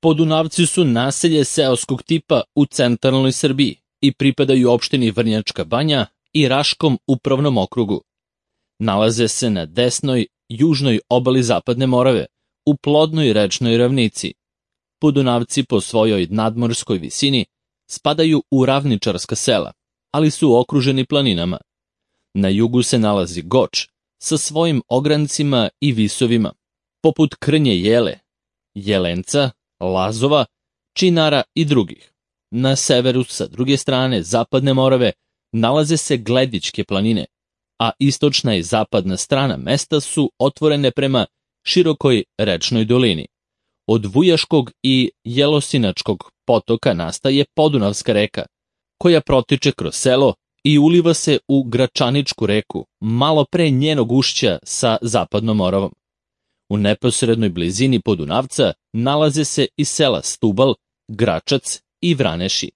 Podunavci su naselje seoskog tipa u centralnoj Srbiji i pripadaju opštini Vrnjačka Banja i Raškom upravnom okrugu. Nalaze se na desnoj, južnoj obali Zapadne Morave, u plodnoj rečnoj ravnici. Podunavci po svojoj nadmorskoj visini spadaju u ravničarska sela, ali su okruženi planinama. Na jugu se nalazi Goč sa svojim ograncima i visovima, poput Krnje Jele, Jelenca, Lazova, Činara i drugih. Na severu, sa druge strane Zapadne Morave, nalaze se Gledičke planine, a istočna i zapadna strana mesta su otvorene prema širokoj rečnoj dolini. Od Vujaškog i Jelosinačkog potoka nastaje Podunavska reka, koja protiče kroz selo i uliva se u Gračaničku reku, malo pre njenog ušća sa Zapadnom Moravom. U neposrednoj blizini Podunavca nalaze se i sela Stubal, Gračac i Vraneši.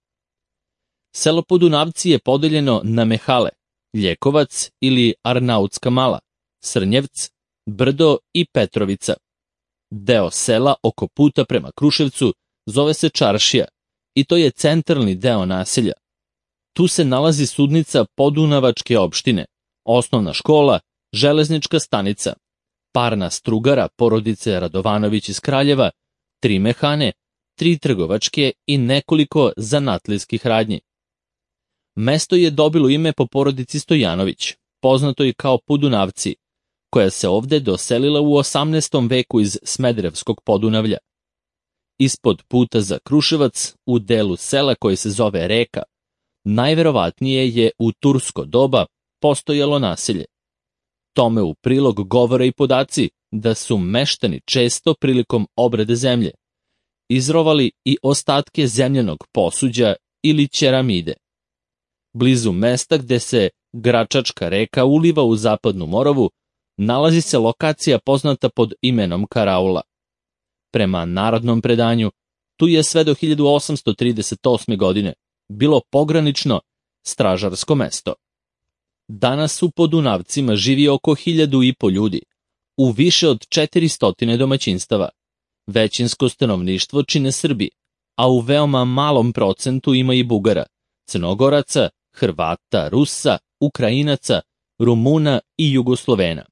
Selo Podunavci je podeljeno na mehale, Ljekovac ili Arnautska Mala, Srnjevc, Brdo i Petrovica. Deo sela oko puta prema Kruševcu zove se Čaršija i to je centralni deo naselja. Tu se nalazi sudnica Podunavačke opštine, osnovna škola, železnička stanica, parna strugara porodice Radovanović iz Kraljeva, 3 mehane, 3 trgovačke i nekoliko zanatlijskih radnji. Mesto je dobilo ime po porodici Stojanović, poznato i kao Podunavci, koja se ovde doselila u 18. veku iz Smederevskog Podunavlja. Ispod puta za Kruševac, u delu sela koje se zove Reka, najverovatnije je u tursko doba postojalo naselje. Tome u prilog govore i podaci da su meštani često prilikom obrade zemlje izrovali i ostatke zemljanog posuđa ili ćeramide. Blizu mesta gde se Gračačka reka uliva u Zapadnu Moravu nalazi se lokacija poznata pod imenom Karaula. Prema narodnom predanju, tu je sve do 1838. godine bilo pogranično stražarsko mesto. Danas u Podunavcima živi oko 1.500 ljudi, u više od 400 domaćinstava. Većinsko stanovništvo čine Srbi, a u veoma malom procentu ima i Bugara, Crnogoraca, Hrvata, Rusa, Ukrajinaca, Rumuna i Jugoslovena.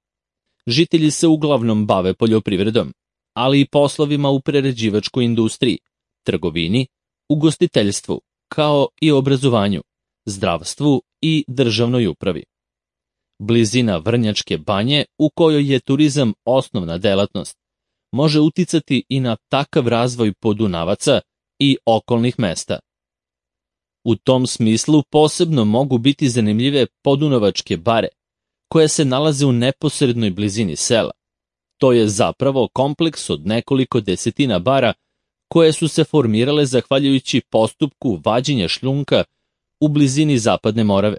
Žitelji se uglavnom bave poljoprivredom, ali i poslovima u prerađivačkoj industriji, trgovini, ugostiteljstvu, kao i obrazovanju, zdravstvu i državnoj upravi. Blizina Vrnjačke Banje, u kojoj je turizam osnovna delatnost, može uticati i na takav razvoj Podunavaca i okolnih mesta. U tom smislu posebno mogu biti zanimljive Podunavačke bare, koje se nalaze u neposrednoj blizini sela. To je zapravo kompleks od nekoliko desetina bara koje su se formirale zahvaljujući postupku vađenja šljunka u blizini Zapadne Morave.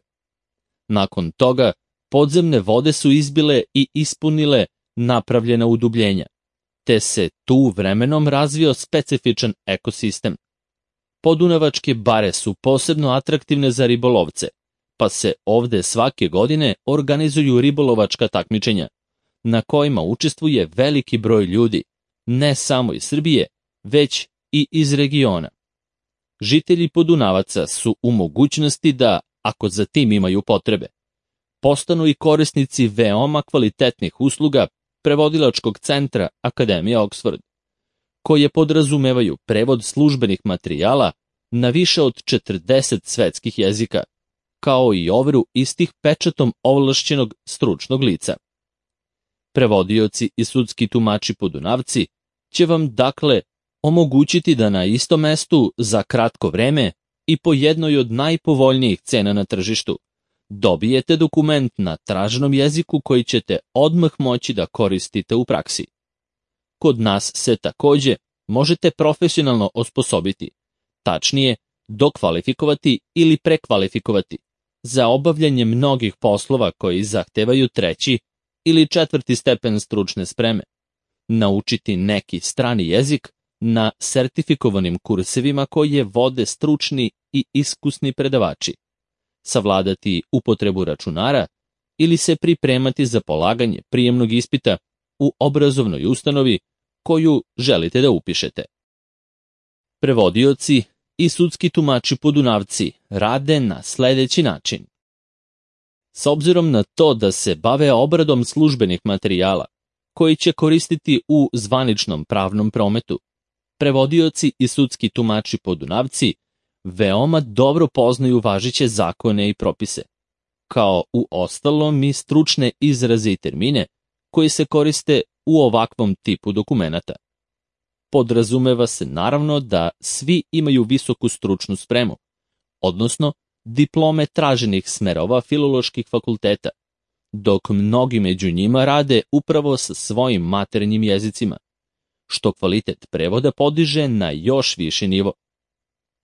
Nakon toga, podzemne vode su izbile i ispunile napravljena udubljenja, te se tu vremenom razvio specifičan ekosistem. Podunavačke bare su posebno atraktivne za ribolovce, pa se ovde svake godine organizuju ribolovačka takmičenja, na kojima učestvuje veliki broj ljudi, ne samo iz Srbije, već i iz regiona. Žitelji Podunavaca su u mogućnosti da, ako za tim imaju potrebe, postanu i korisnici veoma kvalitetnih usluga prevodilačkog centra Akademije Oxford, koje podrazumevaju prevod službenih materijala na više od 40 svetskih jezika, kao i overu istih pečatom ovlašćenog stručnog lica. Prevodioci i sudski tumači Podunavci će vam dakle omogućiti da na istom mestu za kratko vreme i po jednoj od najpovoljnijih cena na tržištu dobijete dokument na traženom jeziku koji ćete odmah moći da koristite u praksi. Kod nas se takođe možete profesionalno osposobiti, tačnije dokvalifikovati ili prekvalifikovati za obavljanje mnogih poslova koji zahtevaju 3. ili 4. stepen stručne spreme, naučiti neki strani jezik na sertifikovanim kursevima koje vode stručni i iskusni predavači, savladati upotrebu računara ili se pripremati za polaganje prijemnog ispita u obrazovnoj ustanovi koju želite da upišete. Prevodioci i sudski tumači podunavci rade na sledeći način. S obzirom na to da se bave obradom službenih materijala, koji će koristiti u zvaničnom pravnom prometu, prevodioci i sudski tumači podunavci veoma dobro poznaju važeće zakone i propise, kao u ostalom i stručne izraze i termine koji se koriste u ovakvom tipu dokumenata. Podrazumeva se naravno da svi imaju visoku stručnu spremu, odnosno diplome traženih smerova filoloških fakulteta, dok mnogi među njima rade upravo sa svojim maternjim jezicima, što kvalitet prevoda podiže na još viši nivo.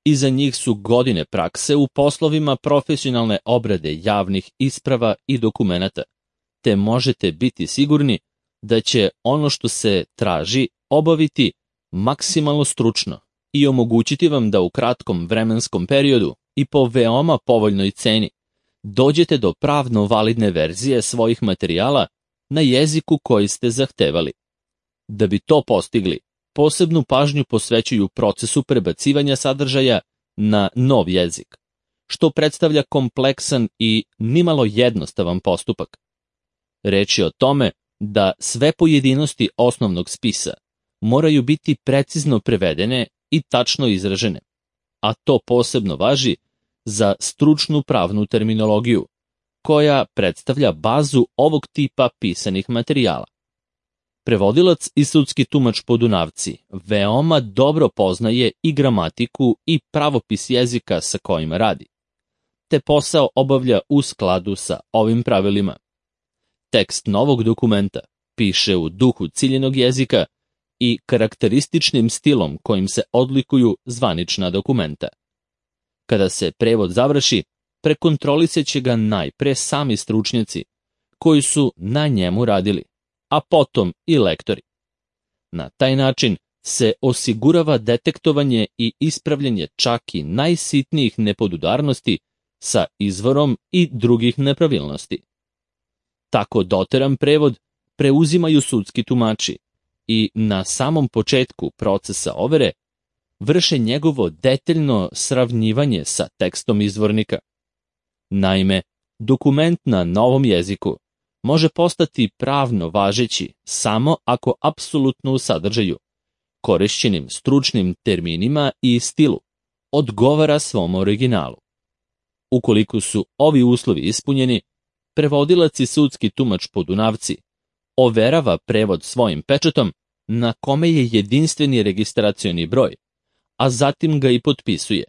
Iza njih su godine prakse u poslovima profesionalne obrade javnih isprava i dokumenata, te možete biti sigurni da će ono što se traži obaviti maksimalno stručno i omogućiti vam da u kratkom vremenskom periodu i po veoma povoljnoj ceni dođete do pravno validne verzije svojih materijala na jeziku koji ste zahtevali. Da bi to postigli, posebnu pažnju posvećuju procesu prebacivanja sadržaja na nov jezik, što predstavlja kompleksan i nimalo jednostavan postupak. Reč je o tome da sve pojedinosti osnovnog spisa moraju biti precizno prevedene i tačno izražene, a to posebno važi za stručnu pravnu terminologiju, koja predstavlja bazu ovog tipa pisanih materijala. Prevodilac i sudski tumač podunavci veoma dobro poznaje i gramatiku i pravopis jezika sa kojima radi, te posao obavlja u skladu sa ovim pravilima. Tekst novog dokumenta piše u duhu ciljenog jezika i karakterističnim stilom kojim se odlikuju zvanična dokumenta. Kada se prevod završi, prekontrolisat će ga najpre sami stručnjaci koji su na njemu radili, a potom i lektori. Na taj način se osigurava detektovanje i ispravljanje čak i najsitnijih nepodudarnosti sa izvorom i drugih nepravilnosti. Tako doteran prevod preuzimaju sudski tumači i na samom početku procesa overe vrše njegovo detaljno sravnjivanje sa tekstom izvornika. Naime, dokument na novom jeziku može postati pravno važeći samo ako apsolutno u sadržaju, korišćenim stručnim terminima i stilu, odgovara svom originalu. Ukoliko su ovi uslovi ispunjeni, prevodilac i sudski tumač podunavci overava prevod svojim pečatom na kome je jedinstveni registracioni broj, a zatim ga i potpisuje.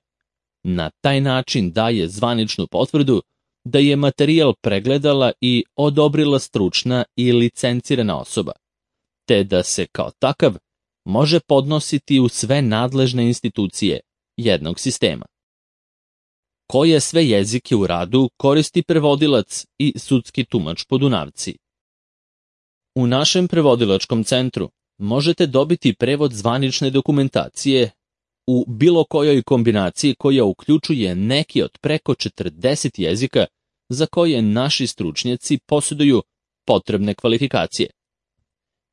Na taj način daje zvaničnu potvrdu da je materijal pregledala i odobrila stručna i licencirana osoba, te da se kao takav može podnositi u sve nadležne institucije jednog sistema. Koje sve jezike u radu koristi prevodilac i sudski tumač podunavci? U našem prevodilačkom centru možete dobiti prevod zvanične dokumentacije u bilo kojoj kombinaciji koja uključuje neki od preko 40 jezika za koje naši stručnjaci posjeduju potrebne kvalifikacije.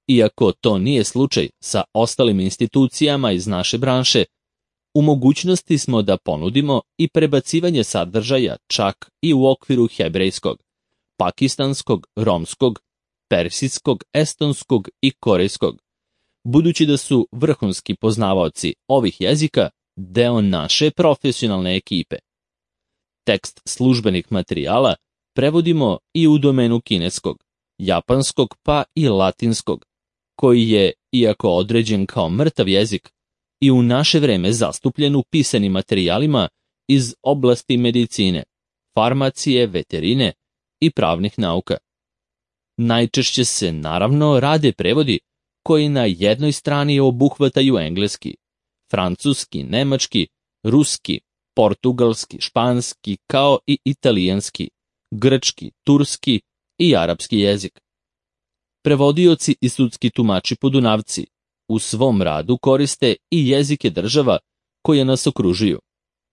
Iako to nije slučaj sa ostalim institucijama iz naše branše, u mogućnosti smo da ponudimo i prebacivanje sadržaja čak i u okviru hebrejskog, pakistanskog, romskog, persijskog, estonskog i korejskog, budući da su vrhunski poznavaoci ovih jezika deo naše profesionalne ekipe. Tekst službenih materijala prevodimo i u domenu kineskog, japanskog pa i latinskog, koji je, iako određen kao mrtav jezik, i u naše vreme zastupljen u pisanim materijalima iz oblasti medicine, farmacije, veterine i pravnih nauka. Najčešće se naravno rade prevodi koji na jednoj strani obuhvataju engleski, francuski, nemački, ruski, portugalski, španski, kao i italijanski, grčki, turski i arapski jezik. Prevodioci i sudski tumači podunavci u svom radu koriste i jezike država koje nas okružuju: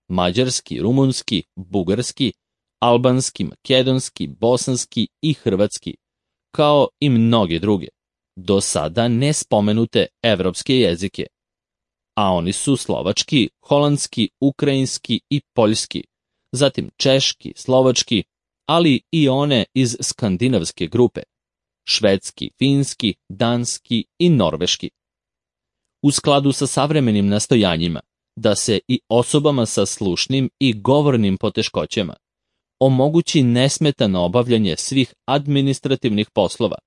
mađarski, rumunski, bugarski, albanski, makedonski, bosanski i hrvatski, kao i mnoge druge, do sada nespomenute evropske jezike. a oni su slovački, holandski, ukrajinski i poljski, zatim češki, slovački, ali i one iz skandinavske grupe, švedski, finski, danski i norveški. U skladu sa savremenim nastojanjima da se i osobama sa slušnim i govornim poteškoćama omogući nesmetano obavljanje svih administrativnih poslova,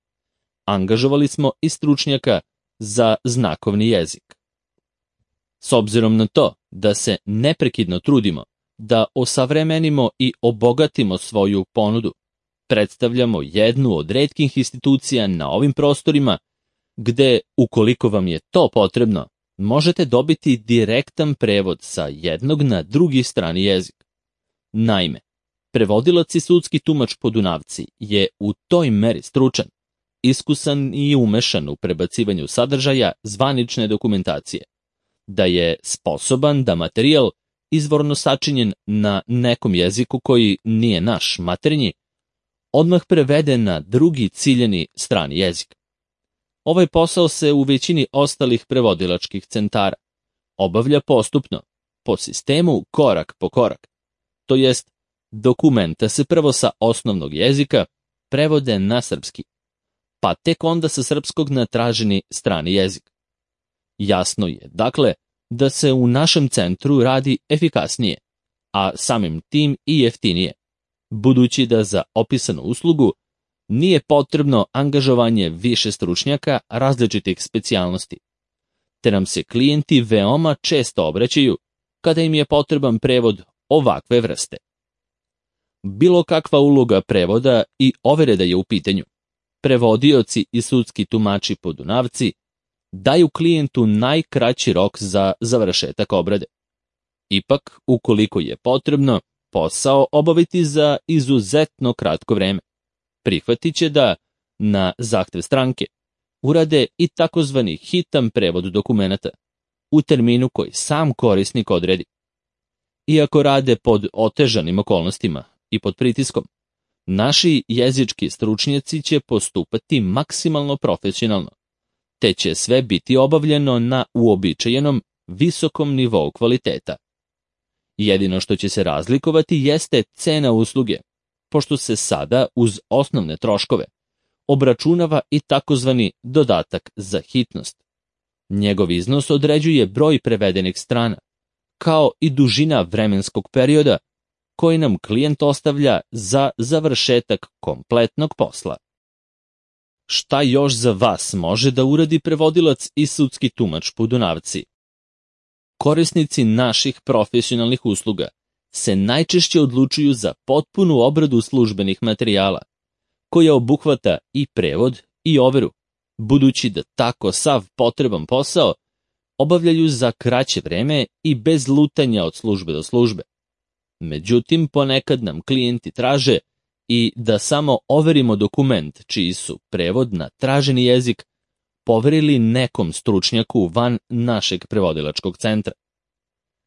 angažovali smo i stručnjaka za znakovni jezik. S obzirom na to da se neprekidno trudimo da osavremenimo i obogatimo svoju ponudu, predstavljamo jednu od retkih institucija na ovim prostorima gde, ukoliko vam je to potrebno, možete dobiti direktan prevod sa jednog na drugi strani jezik. Naime, prevodilac i sudski tumač Podunavci je u toj meri stručan, iskusan i umešan u prebacivanju sadržaja zvanične dokumentacije, da je sposoban da materijal izvorno sačinjen na nekom jeziku koji nije naš maternji, odmah prevede na drugi ciljani strani jezik. Ovaj posao se u većini ostalih prevodilačkih centara obavlja postupno, po sistemu korak po korak, to jest dokumenta se prvo sa osnovnog jezika prevode na srpski, pa tek onda sa srpskog na traženi strani jezik. Jasno je, dakle, da se u našem centru radi efikasnije, a samim tim i jeftinije, budući da za opisanu uslugu nije potrebno angažovanje više stručnjaka različitih specijalnosti, te nam se klijenti veoma često obraćaju kada im je potreban prevod ovakve vrste. Bilo kakva uloga prevoda i overe da je u pitanju, prevodioci i sudski tumači Podunavci daju klijentu najkraći rok za završetak obrade. Ipak, ukoliko je potrebno posao obaviti za izuzetno kratko vreme, prihvatit će da, na zahtev stranke, urade i takozvani hitan prevod dokumenata u terminu koji sam korisnik odredi. Iako rade pod otežanim okolnostima i pod pritiskom, naši jezički stručnjaci će postupati maksimalno profesionalno, te će sve biti obavljeno na uobičajenom visokom nivou kvaliteta. Jedino što će se razlikovati jeste cena usluge, pošto se sada uz osnovne troškove obračunava i takozvani dodatak za hitnost. Njegov iznos određuje broj prevedenih strana, kao i dužina vremenskog perioda koji nam klijent ostavlja za završetak kompletnog posla. Šta još za vas može da uradi prevodilac i sudski tumač Podunavci? Korisnici naših profesionalnih usluga se najčešće odlučuju za potpunu obradu službenih materijala, koja obuhvata i prevod i overu, budući da tako sav potreban posao obavljaju za kraće vreme i bez lutanja od službe do službe. Međutim, ponekad nam klijenti traže i da samo overimo dokument čiji su prevod na traženi jezik poverili nekom stručnjaku van našeg prevodilačkog centra.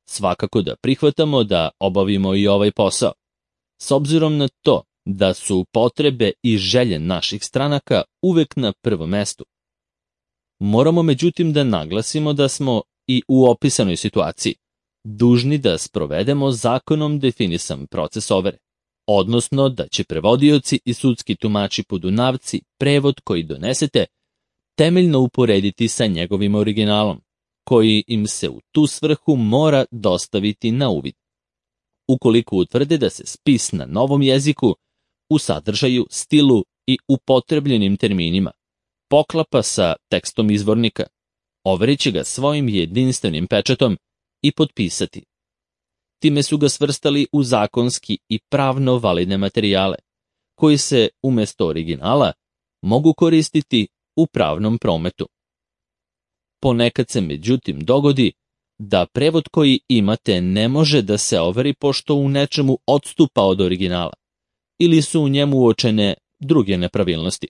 Svakako da prihvatamo da obavimo i ovaj posao, s obzirom na to da su potrebe i želje naših stranaka uvek na prvom mestu. Moramo međutim da naglasimo da smo i u opisanoj situaciji dužni da sprovedemo zakonom definisan proces overe, odnosno da će prevodioci i sudski tumači Podunavci prevod koji donesete temeljno uporediti sa njegovim originalom, koji im se u tu svrhu mora dostaviti na uvid. Ukoliko utvrde da se spis na novom jeziku u sadržaju, stilu i upotrebljenim terminima poklapa sa tekstom izvornika, overit će ga svojim jedinstvenim pečatom i potpisati. Time su ga svrstali u zakonski i pravno validne materijale, koji se umjesto originala mogu koristiti u pravnom prometu. Ponekad se međutim dogodi da prevod koji imate ne može da se overi pošto u nečemu odstupa od originala ili su u njemu uočene druge nepravilnosti.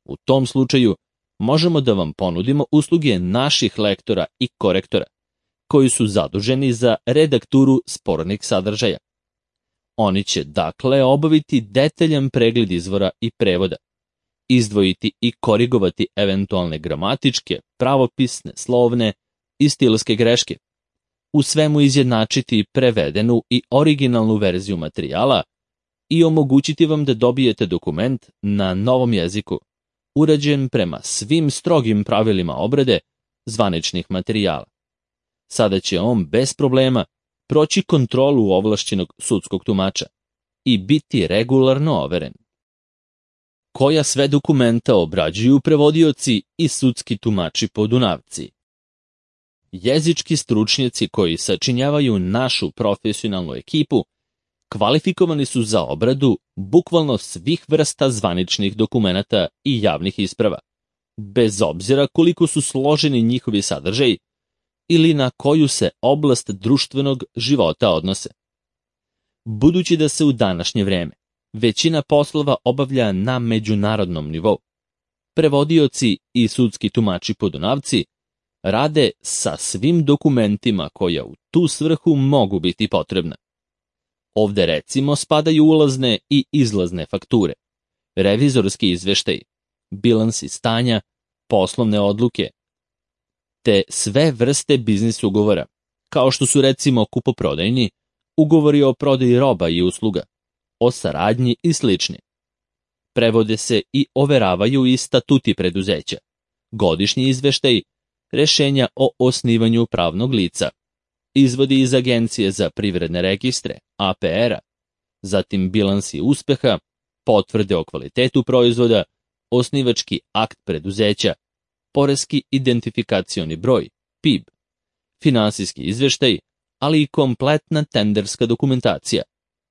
U tom slučaju možemo da vam ponudimo usluge naših lektora i korektora, koji su zaduženi za redakturu spornih sadržaja. Oni će dakle obaviti detaljan pregled izvora i prevoda, izdvojiti i korigovati eventualne gramatičke, pravopisne, slovne i stilske greške, u svemu izjednačiti prevedenu i originalnu verziju materijala i omogućiti vam da dobijete dokument na novom jeziku, urađen prema svim strogim pravilima obrade zvaničnih materijala. Sada će on bez problema proći kontrolu ovlašćenog sudskog tumača i biti regularno overen. Koja sve dokumenta obrađuju prevodioci i sudski tumači podunavci? Jezički stručnjaci koji sačinjavaju našu profesionalnu ekipu kvalifikovani su za obradu bukvalno svih vrsta zvaničnih dokumenata i javnih isprava, bez obzira koliko su složeni njihovi sadržaji ili na koju se oblast društvenog života odnose. Budući da se u današnje vreme većina poslova obavlja na međunarodnom nivou, prevodioci i sudski tumači podunavci rade sa svim dokumentima koja u tu svrhu mogu biti potrebna. Ovde recimo spadaju ulazne i izlazne fakture, revizorski izveštaji, bilansi stanja, poslovne odluke, te sve vrste biznis ugovora, kao što su recimo kupoprodajni, ugovori o prodaji roba i usluga, o saradnji i slični. Prevode se i overavaju i statuti preduzeća, godišnji izveštaji, rešenja o osnivanju pravnog lica, izvodi iz Agencije za privredne registre, APR-a, zatim bilansi uspeha, potvrde o kvalitetu proizvoda, osnivački akt preduzeća, poreski identifikacioni broj, PIB, finansijski izveštaj, ali i kompletna tenderska dokumentacija,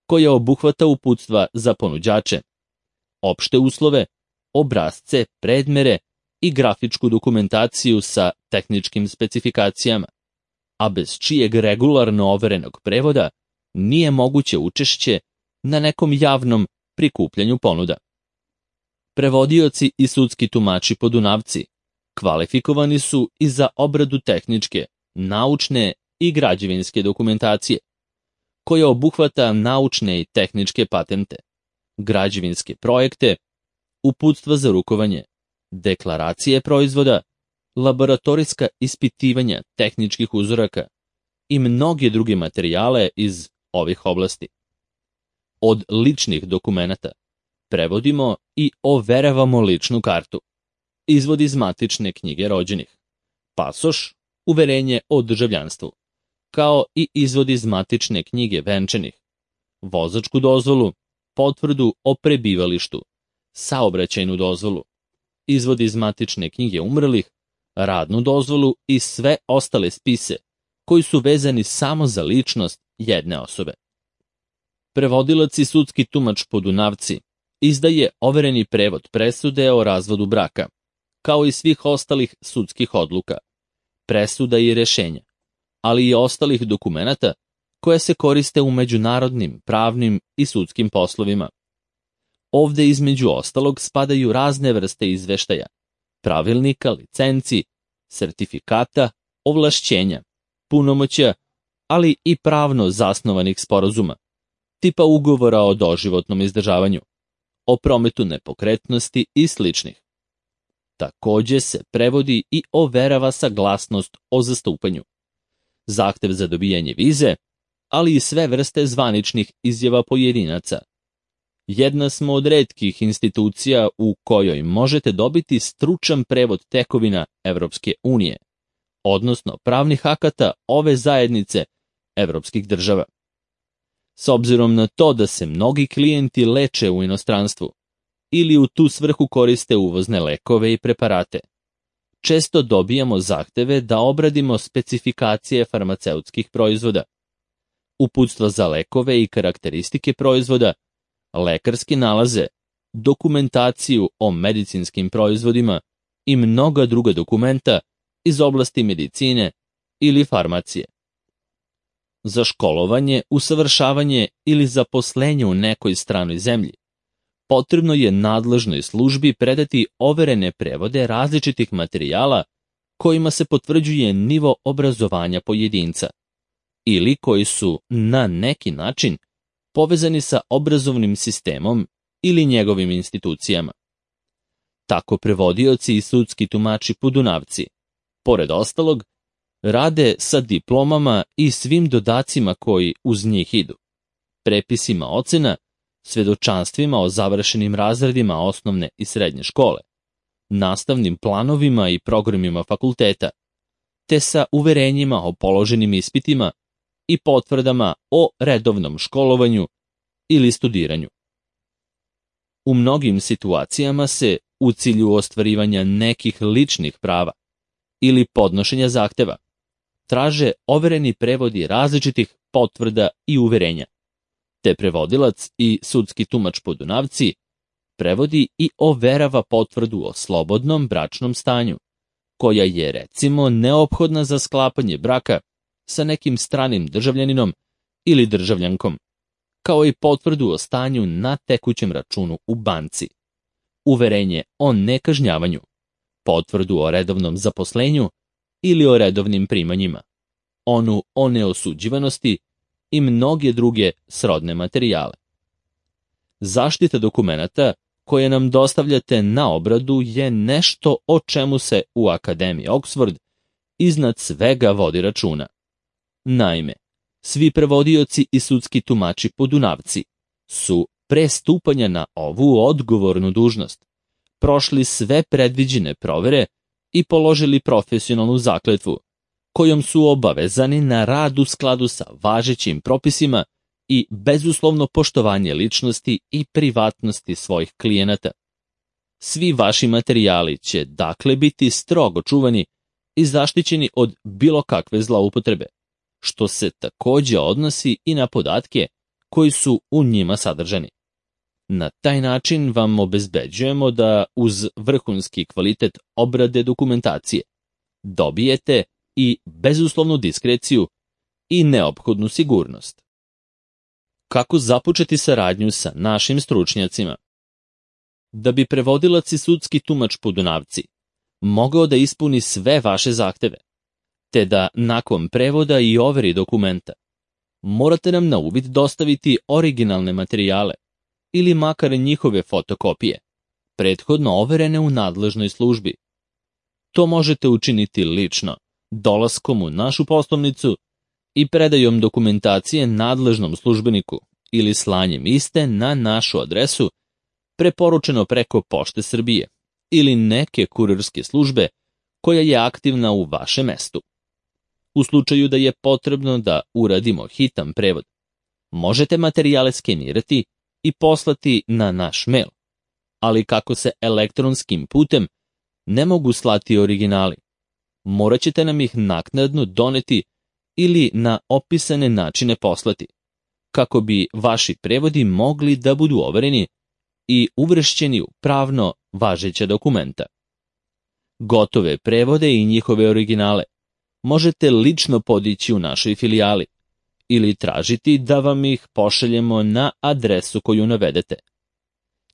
koja obuhvata uputstva za ponuđače, opšte uslove, obrasce, predmere i grafičku dokumentaciju sa tehničkim specifikacijama, a bez čijeg regularno overenog prevoda nije moguće učešće na nekom javnom prikupljanju ponuda. Prevodioci i sudski tumači podunavci kvalifikovani su i za obradu tehničke, naučne i građevinske dokumentacije, koja obuhvata naučne i tehničke patente, građevinske projekte, uputstva za rukovanje, deklaracije proizvoda, laboratorijska ispitivanja tehničkih uzoraka i mnoge druge materijale iz ovih oblasti. Od ličnih dokumenata prevodimo i overavamo ličnu kartu, izvod iz matične knjige rođenih, pasoš, uverenje o državljanstvu, kao i izvod iz matične knjige venčanih, vozačku dozvolu, potvrdu o prebivalištu, saobraćajnu dozvolu, izvod iz matične knjige umrlih, radnu dozvolu i sve ostale spise koji su vezani samo za ličnost jedne osobe. Prevodilac i sudski tumač podunavci izdaje overeni prevod presude o razvodu braka, kao i svih ostalih sudskih odluka, presuda i rešenja, ali i ostalih dokumenata koje se koriste u međunarodnim, pravnim i sudskim poslovima. Ovde između ostalog spadaju razne vrste izveštaja, pravilnika, licenci, sertifikata, ovlašćenja, punomoćja, ali i pravno zasnovanih sporazuma, tipa ugovora o doživotnom izdržavanju, o prometu nepokretnosti i sličnih. Takođe se prevodi i overava saglasnost o zastupanju, zahtev za dobijanje vize, ali i sve vrste zvaničnih izjava pojedinaca. Jedna smo od retkih institucija u kojoj možete dobiti stručan prevod tekovina Evropske unije, odnosno pravnih akata ove zajednice evropskih država. S obzirom na to da se mnogi klijenti leče u inostranstvu ili u tu svrhu koriste uvozne lekove i preparate, često dobijamo zahteve da obradimo specifikacije farmaceutskih proizvoda, uputstva za lekove i karakteristike proizvoda, lekarske nalaze, dokumentaciju o medicinskim proizvodima i mnoga druga dokumenta iz oblasti medicine ili farmacije. Za školovanje, usavršavanje ili zaposlenje u nekoj stranoj zemlji potrebno je nadležnoj službi predati overene prevode različitih materijala kojima se potvrđuje nivo obrazovanja pojedinca ili koji su na neki način povezani sa obrazovnim sistemom ili njegovim institucijama. Tako prevodioci i sudski tumači podunavci, pored ostalog, Rade sa diplomama i svim dodacima koji uz njih idu, prepisima ocena, svedočanstvima o završenim razredima osnovne i srednje škole, nastavnim planovima i programima fakulteta, te sa uverenjima o položenim ispitima i potvrdama o redovnom školovanju ili studiranju. U mnogim situacijama se, u cilju ostvarivanja nekih ličnih prava ili podnošenja zahteva, traže overeni prevodi različitih potvrda i uverenja, te prevodilac i sudski tumač Podunavci prevodi i overava potvrdu o slobodnom bračnom stanju, koja je, recimo, neophodna za sklapanje braka sa nekim stranim državljaninom ili državljankom, kao i potvrdu o stanju na tekućem računu u banci, uverenje o nekažnjavanju, potvrdu o redovnom zaposlenju ili o redovnim primanjima, onu o neosuđivanosti i mnoge druge srodne materijale. Zaštita dokumenata koje nam dostavljate na obradu je nešto o čemu se u Akademiji Oxford iznad svega vodi računa. Naime, svi prevodioci i sudski tumači Podunavci su pre stupanja na ovu odgovornu dužnost prošli sve predviđene provere i položili profesionalnu zakletvu, kojom su obavezani na rad u skladu sa važećim propisima i bezuslovno poštovanje ličnosti i privatnosti svojih klijenata. Svi vaši materijali će dakle biti strogo čuvani i zaštićeni od bilo kakve zloupotrebe, što se takođe odnosi i na podatke koji su u njima sadržani. Na taj način vam obezbeđujemo da uz vrhunski kvalitet obrade dokumentacije dobijete i bezuslovnu diskreciju i neophodnu sigurnost. Kako započeti saradnju sa našim stručnjacima? Da bi prevodilac i sudski tumač Podunavci mogao da ispuni sve vaše zahteve, te da nakon prevoda i overi dokumenta morate nam na uvid dostaviti originalne materijale ili makar njihove fotokopije, prethodno overene u nadležnoj službi. To možete učiniti lično, dolaskom u našu poslovnicu i predajom dokumentacije nadležnom službeniku ili slanjem iste na našu adresu, preporučeno preko Pošte Srbije ili neke kurirske službe koja je aktivna u vašem mestu. U slučaju da je potrebno da uradimo hitan prevod, možete materijale skenirati i poslati na naš mail, ali kako se elektronskim putem ne mogu slati originali, morat ćete nam ih naknadno doneti ili na opisane načine poslati, kako bi vaši prevodi mogli da budu overeni i uvršćeni u pravno važeća dokumenta. Gotove prevode i njihove originale možete lično podići u našoj filijali ili tražiti da vam ih pošaljemo na adresu koju navedete.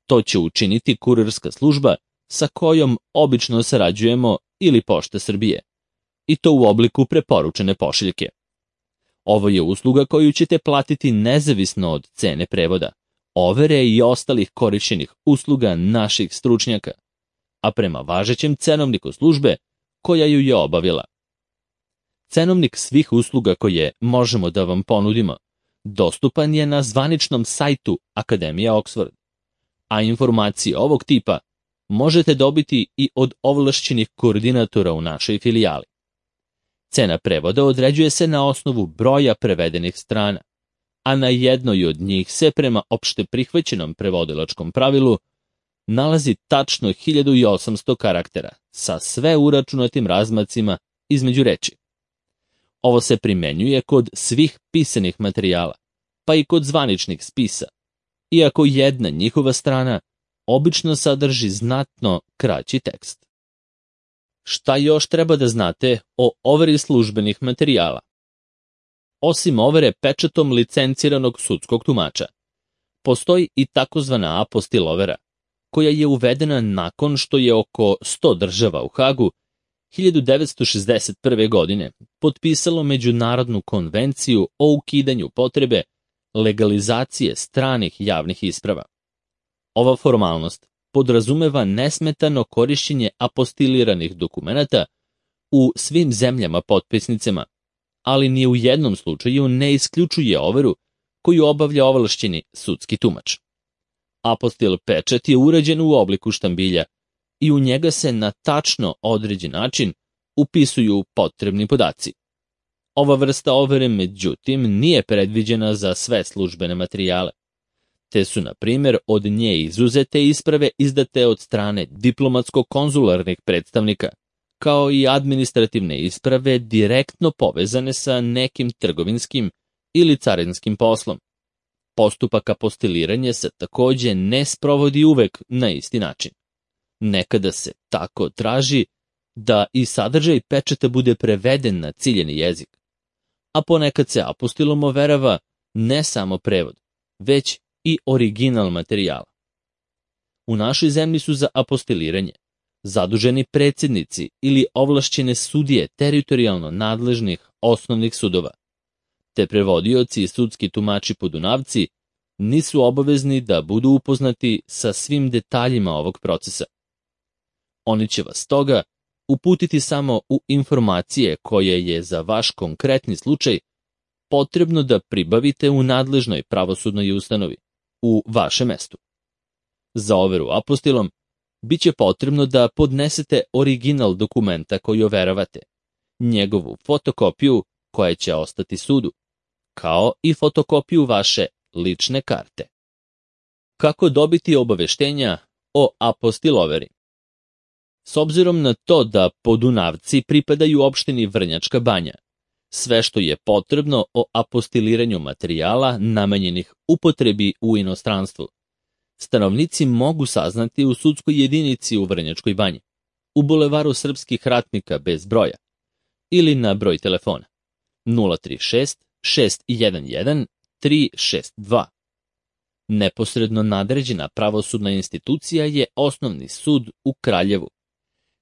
To će učiniti kurirska služba sa kojom obično sarađujemo ili Pošta Srbije, i to u obliku preporučene pošiljke. Ovo je usluga koju ćete platiti nezavisno od cene prevoda, overe i ostalih korišćenih usluga naših stručnjaka, a prema važećem cenovniku službe koja ju je obavila. Cenovnik svih usluga koje možemo da vam ponudimo dostupan je na zvaničnom sajtu Akademije Oxford, a informacije ovog tipa možete dobiti i od ovlašćenih koordinatora u našoj filijali. Cena prevoda određuje se na osnovu broja prevedenih strana, a na jednoj od njih se prema opšte prihvaćenom prevodilačkom pravilu nalazi tačno 1800 karaktera sa sve uračunatim razmacima između reči. Ovo se primenjuje kod svih pisanih materijala, pa i kod zvaničnih spisa, iako jedna njihova strana obično sadrži znatno kraći tekst. Šta još treba da znate o overi službenih materijala? Osim overe pečatom licenciranog sudskog tumača, postoji i takozvana apostil overa, koja je uvedena nakon što je oko 100 država u Hagu 1961. godine potpisalo Međunarodnu konvenciju o ukidanju potrebe legalizacije stranih javnih isprava. Ova formalnost podrazumeva nesmetano korišćenje apostiliranih dokumenata u svim zemljama potpisnicama, ali ni u jednom slučaju ne isključuje overu koju obavlja ovlašćeni sudski tumač. Apostil pečat je urađen u obliku štambilja i u njega se na tačno određen način upisuju potrebni podaci. Ova vrsta overe, međutim, nije predviđena za sve službene materijale, te su, na primjer, od nje izuzete isprave izdate od strane diplomatsko-konzularnih predstavnika, kao i administrativne isprave direktno povezane sa nekim trgovinskim ili carinskim poslom. Postupak apostiliranja se takođe ne sprovodi uvek na isti način. Nekada se tako traži da i sadržaj pečata bude preveden na ciljeni jezik, a ponekad se apostilom overava ne samo prevod, već i original materijala. U našoj zemlji su za apostiliranje zaduženi predsjednici ili ovlašćene sudije teritorijalno nadležnih osnovnih sudova, te prevodioci i sudski tumači podunavci nisu obavezni da budu upoznati sa svim detaljima ovog procesa. Oni će vas stoga uputiti samo u informacije koje je za vaš konkretni slučaj potrebno da pribavite u nadležnoj pravosudnoj ustanovi u vašem mestu. Za overu apostilom biće potrebno da podnesete original dokumenta koji overavate, njegovu fotokopiju koja će ostati sudu, kao i fotokopiju vaše lične karte. Kako dobiti obaveštenja o apostiloveri? S obzirom na to da podunavci pripadaju opštini Vrnjačka Banja, sve što je potrebno o apostiliranju materijala namenjenih upotrebi u inostranstvu, stanovnici mogu saznati u sudskoj jedinici u Vrnjačkoj Banji, u bulevaru srpskih ratnika bez broja, ili na broj telefona 036 611 362. Neposredno nadređena pravosudna institucija je Osnovni sud u Kraljevu,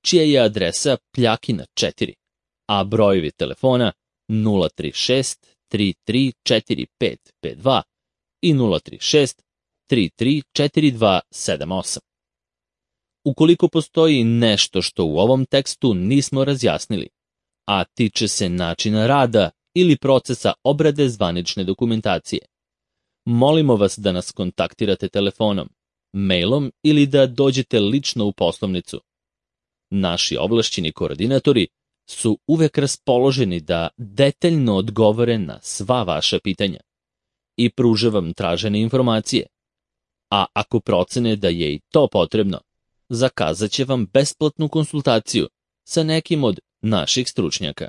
čija je adresa Pljakina 4, a brojevi telefona 036 334552 i 036 334278. Ukoliko postoji nešto što u ovom tekstu nismo razjasnili, a tiče se načina rada ili procesa obrade zvanične dokumentacije, molimo vas da nas kontaktirate telefonom, mailom ili da dođete lično u poslovnicu. Naši ovlašćeni koordinatori su uvek raspoloženi da detaljno odgovore na sva vaša pitanja i pruže vam tražene informacije, a ako procene da je i to potrebno, zakazat će vam besplatnu konsultaciju sa nekim od naših stručnjaka.